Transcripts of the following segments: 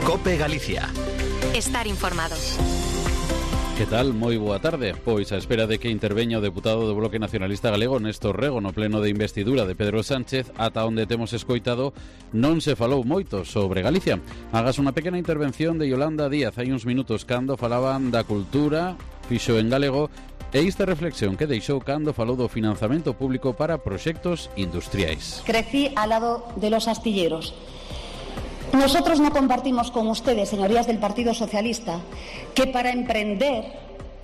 COPE Galicia. Estar informado. Que tal? Moi boa tarde. Pois a espera de que interveña o deputado do Bloque Nacionalista Galego Néstor Rego no pleno de investidura de Pedro Sánchez, ata onde temos escoitado non se falou moito sobre Galicia. Hagas unha pequena intervención de Yolanda Díaz hai uns minutos cando falaban da cultura, fixo en galego, e esta reflexión que deixou cando falou do financiamento público para proxectos industriais. Crecí al lado de los astilleros. Nosotros no compartimos con ustedes, señorías del Partido Socialista, que para emprender,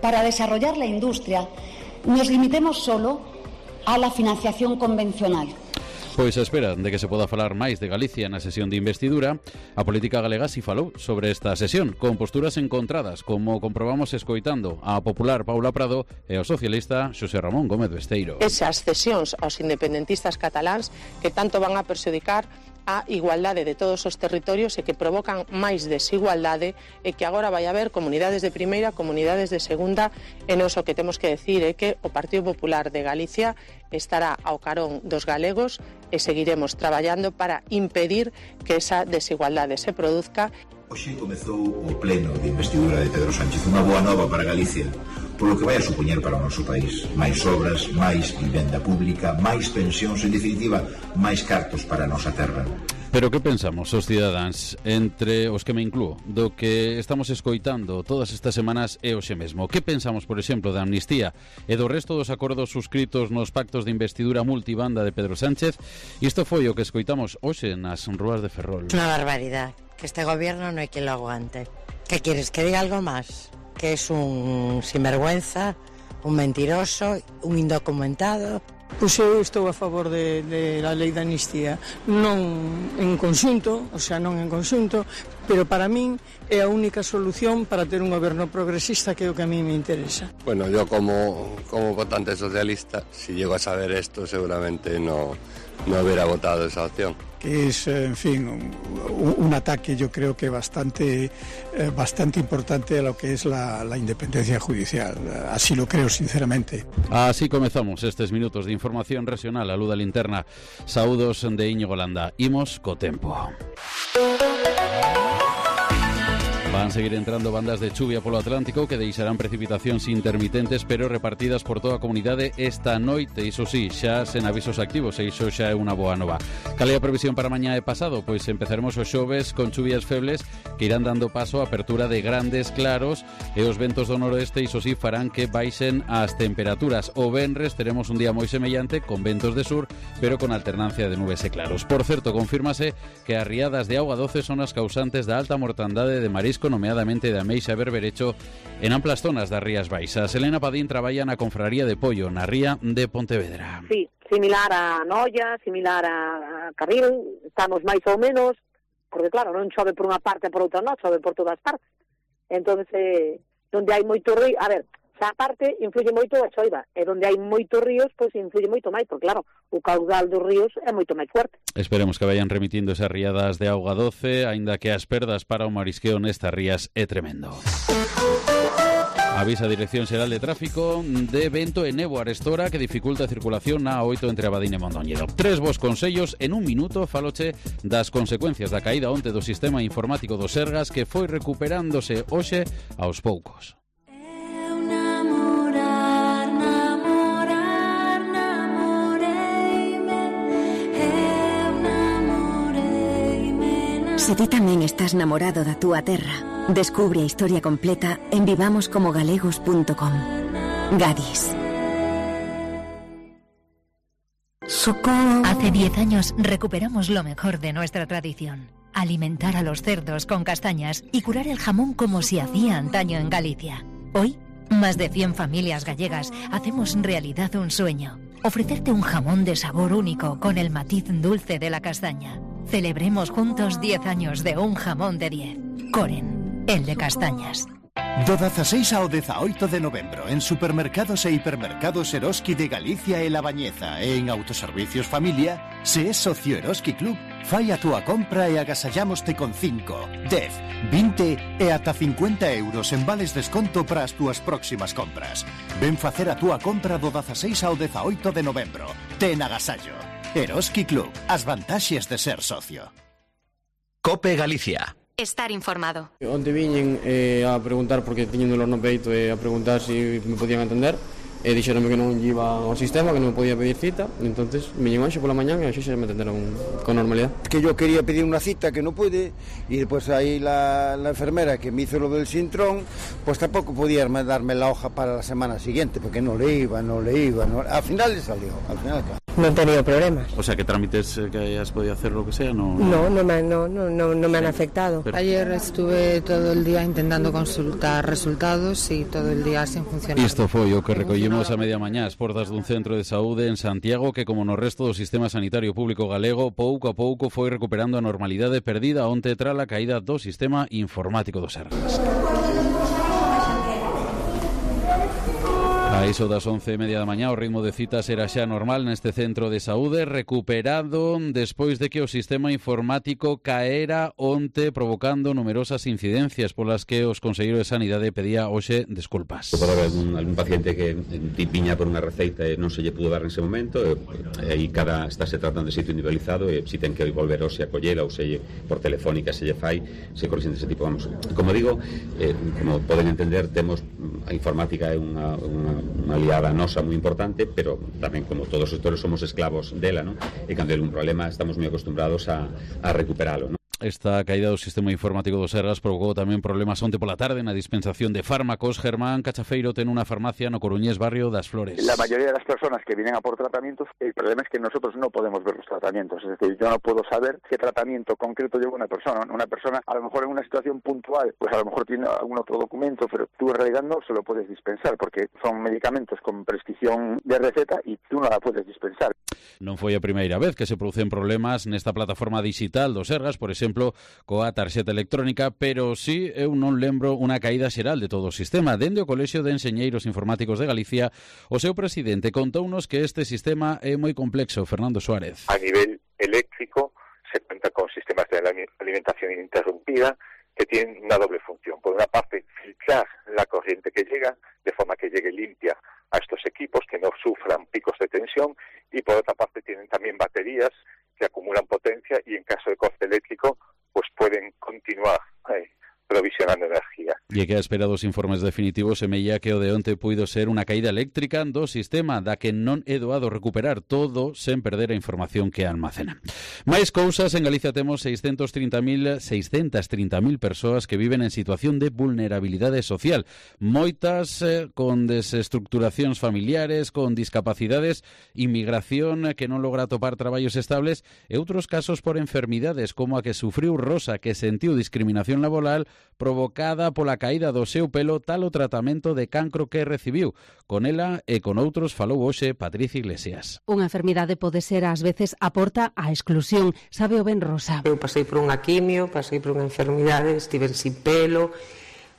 para desarrollar la industria, nos limitemos solo a la financiación convencional. Pois a espera de que se poda falar máis de Galicia na sesión de investidura, a política galega si falou sobre esta sesión, con posturas encontradas, como comprobamos escoitando a popular Paula Prado e ao socialista Xosé Ramón Gómez Besteiro. Esas cesións aos independentistas cataláns que tanto van a perxudicar a igualdade de todos os territorios e que provocan máis desigualdade e que agora vai haber comunidades de primeira, comunidades de segunda, e nos o que temos que decir é que o Partido Popular de Galicia estará ao carón dos galegos e seguiremos traballando para impedir que esa desigualdade se produzca. Hoxe comezou o pleno de investidura de Pedro Sánchez, unha boa nova para Galicia, polo que vai a supoñer para o noso país. Máis obras, máis vivenda pública, máis pensións, en definitiva, máis cartos para a nosa terra. Pero que pensamos os cidadáns, entre os que me inclúo, do que estamos escoitando todas estas semanas e hoxe mesmo? Que pensamos, por exemplo, da amnistía e do resto dos acordos suscritos nos pactos de investidura multibanda de Pedro Sánchez? Isto foi o que escoitamos hoxe nas rúas de Ferrol. Una barbaridad, que este gobierno no hay quien lo aguante. ¿Qué quieres, que diga algo más? Que es un sinvergüenza, un mentiroso, un indocumentado. Pois eu estou a favor de la lei da amnistía, non en conxunto, o sea, non en conxunto, pero para min é a única solución para ter un goberno progresista, que é o que a mí me interesa. Bueno, yo como votante socialista, si llego a saber esto, seguramente no hubiera votado esa opción. Que es, en fin, un ataque, yo creo que bastante importante a lo que es la independencia judicial. Así lo creo, sinceramente. Así comezamos estes minutos de información regional. A luz da linterna. Saúdos de Íñigo Landa. Imos co tempo. Van seguir entrando bandas de chuvia polo Atlántico que deixarán precipitacións intermitentes pero repartidas por toda a comunidade esta noite. Iso sí, xa sen avisos activos e iso xa é unha boa nova. Cal é a previsión para mañá e pasado? Pois empezaremos os xoves con chuvias febles que irán dando paso a apertura de grandes claros e os ventos do noroeste iso sí farán que baixen as temperaturas. O venres teremos un día moi semellante con ventos de sur pero con alternancia de nubes e claros. Por certo, confírmase que as riadas de auga doce son as causantes da alta mortandade de marisco, nomeadamente de ameixa e berberecho en amplas zonas das Rías Baixas. Elena Padín traballa na Confraría de Pollo, na ría de Pontevedra. Sí, similar a Noia, similar a Carril, estamos máis ou menos, porque claro, non chove por unha parte e por outra non, chove por todas partes. Entón, onde hai moito río, a ver, esa parte influye moito a choiva, e onde hai moitos ríos, pois influye moito máis, porque claro, o caudal dos ríos é moito máis fuerte. Esperemos que vayan remitindo esas riadas de auga doce, aínda que as perdas para o marisqueo nestas rías é tremendo. Avisa a Dirección Xeral de Tráfico de vento e néboa arestora que dificulta a circulación na A8 entre Abadín e Mondoñedo. 3 bos consellos en un minuto faloche das consecuencias da caída onte do sistema informático do Sergas que foi recuperándose hoxe aos poucos. Se ti tamén estás namorado da túa terra, descubre a historia completa en vivamoscomogalegos.com. Gadis. ¡Socorro! Hace 10 años recuperamos lo mejor de nuestra tradición. Alimentar a los cerdos con castañas y curar el jamón como se hacía antaño en Galicia. Hoy, más de 100 familias gallegas hacemos realidad un sueño. Ofrecerte un jamón de sabor único con el matiz dulce de la castaña. Celebremos juntos 10 años de un jamón de 10. Coren, el de castañas. Do 16 ao 18 de novembro en supermercados e hipermercados Eroski de Galicia e La Bañeza e en Autoservicios Familia, se é socio Eroski Club, fai a túa compra e agasallámoste con 5, 10, 20 e ata 50 euros en vales desconto para as túas próximas compras. Ven facer a túa compra do 16 ao 18 de novembro. Ten agasallo. Eroski Club, as vantaxes de ser socio. COPE Galicia. estar informado. Onte viñen a preguntar porque tiñen dolor no peito e a preguntar se me podían atender. E dixeronme que non iba ao sistema, que non podía pedir cita. Entonces viñen hoxe pola mañá e hoxe xa me atenderon con normalidad. Que yo quería pedir una cita que no pude, y después ahí la enfermera que me hizo lo del sintrón, pues tampoco podía darme la hoja para la semana siguiente, porque no le iba. Al final le salió, al final claro. No he tenido problemas. O sea, que trámites que hayas podido hacer, lo que sea, no me han afectado. Pero ayer estuve todo el día intentando consultar resultados y todo el día sin funcionar. Isto foi o que recollimos a media mañá as portas dun centro de saúde en Santiago que, como no resto do sistema sanitario público galego, pouco a pouco foi recuperando a normalidade perdida onte tras a caída do sistema informático do Sergas. A iso das 11:30 da mañá o ritmo de citas era xa normal neste centro de saúde, recuperado despois de que o sistema informático caera onte, provocando numerosas incidencias polas que os conselleiros de Sanidade pedía hoxe desculpas. Pode haber algún paciente que viña por unha receita e non se lle pudo dar nese momento, e aí estáse tratando de sitio individualizado, e si ten que volver hoxe a collela ou se por telefónica se lle fai, se corrixen dese tipo. Vamos, como digo, como poden entender, temos a informática é unha aliada nosa moi importante, pero tamén, como todos os sectores, somos esclavos dela, non? E cando hai un problema estamos moi acostumbrados a recuperalo, non? Esta caída do sistema informático do Sergas provocou tamén problemas onte pola tarde na dispensación de fármacos. Germán Cachafeiro ten unha farmacia no coruñés barrio das Flores. La mayoría de las personas que vienen a por tratamientos, el problema es que nosotros no podemos ver los tratamientos. Es decir, yo no puedo saber qué tratamiento concreto lleva una persona. Una persona, a lo mejor en una situación puntual, pues a lo mejor tiene algún otro documento, pero tú en realidad no se lo puedes dispensar, porque son medicamentos con prescripción de receta y tú no la puedes dispensar. Non foi a primeira vez que se producen problemas nesta plataforma digital do Sergas, por exemplo, coa tarxeta electrónica, pero sí, eu non lembro unha caída xeral de todo o sistema. Dende o Colexio de Enxeñeiros Informáticos de Galicia, o seu presidente contounos que este sistema é moi complexo. Fernando Suárez. A nivel eléctrico se cuenta con sistemas de alimentación ininterrumpida que tienen una doble función. Por una parte, filtrar la corriente que llega, de forma que llegue limpia a estos equipos, que no sufran picos de tensión, y por otra parte tienen también baterías que acumulan potencia y en caso de corte eléctrico pues pueden continuar provisionando energía. E que a espera dos informes definitivos semella que o de onte puido ser unha caída eléctrica do sistema da que non é doado recuperar todo sen perder a información que almacena. Máis cousas, en Galicia temos 630.000 persoas que viven en situación de vulnerabilidade social, moitas con desestructuracións familiares, con discapacidades, inmigración que non logra atopar traballos estables e outros casos por enfermidades como a que sufriu Rosa, que sentiu discriminación laboral provocada pola caída do seu pelo tal o tratamento de cancro que recibiu. Con ela e con outros falou hoxe Patricia Iglesias. Unha enfermidade pode ser ás veces a porta á exclusión, sabe o ben Rosa. Eu pasei por unha quimio, pasei por unha enfermidade, estive sin pelo,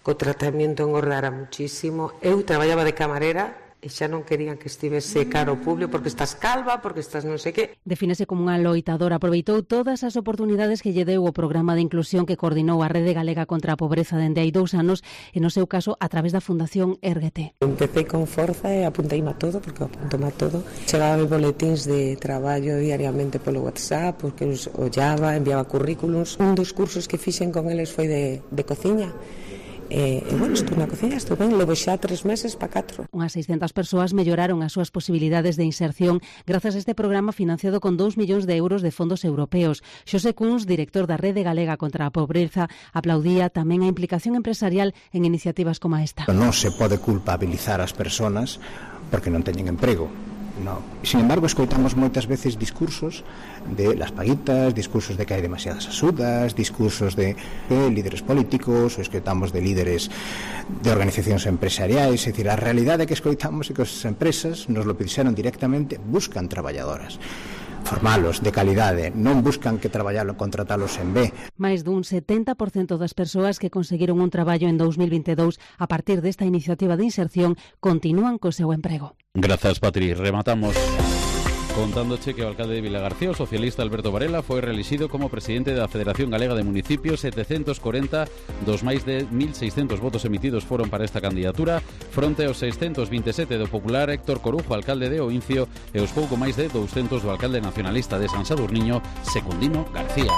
co tratamento engordara muchísimo. Eu traballaba de camarera e xa non querían que estivese caro ao público porque estás calva, porque estás non sei que. Defínese como unha loitadora, aproveitou todas as oportunidades que lle deu o programa de inclusión que coordinou a Rede Galega contra a Pobreza dende hai 2 anos e no seu caso a través da Fundación Érguete. Empecé con forza e apunteime a todo, porque apunteime a todo. Chegaba boletíns de traballo diariamente polo WhatsApp, porque os ollaba, enviaba currículums. Un dos cursos que fixen con eles foi de cociña. Bueno, estou na cociña, estou ben, levo xa 3 meses para 4. Unhas 600 persoas melloraron as súas posibilidades de inserción grazas a este programa financiado con 2 millóns de euros de fondos europeos. Xosé Cuns, director da Rede Galega contra a Pobreza, aplaudía tamén a implicación empresarial en iniciativas como esta. Non se pode culpabilizar as persoas porque non teñen emprego. No. Sin embargo, escoitamos moitas veces discursos de las paguitas, discursos de que hai demasiadas axudas, discursos de líderes políticos, ou escoitamos de líderes de organizacións empresariais. É dicir, a realidade que escoitamos é que as empresas nos lo dixeron directamente, buscan traballadoras, formalos, de calidade, non buscan que traballalo, contratalos en B. Mais dun 70% das persoas que conseguiron un traballo en 2022 a partir desta iniciativa de inserción continúan co seu emprego. Grazas, Patri. Rematamos contándoche que o alcalde de Vilagarcía, o socialista Alberto Varela, foi reelixido como presidente da Federación Galega de Municipios. 740 dos máis de 1.600 votos emitidos foron para esta candidatura, fronte aos 627 do popular Héctor Corujo, alcalde de Oincio, e os pouco máis de 200 do alcalde nacionalista de San Sadurniño, Secundino García.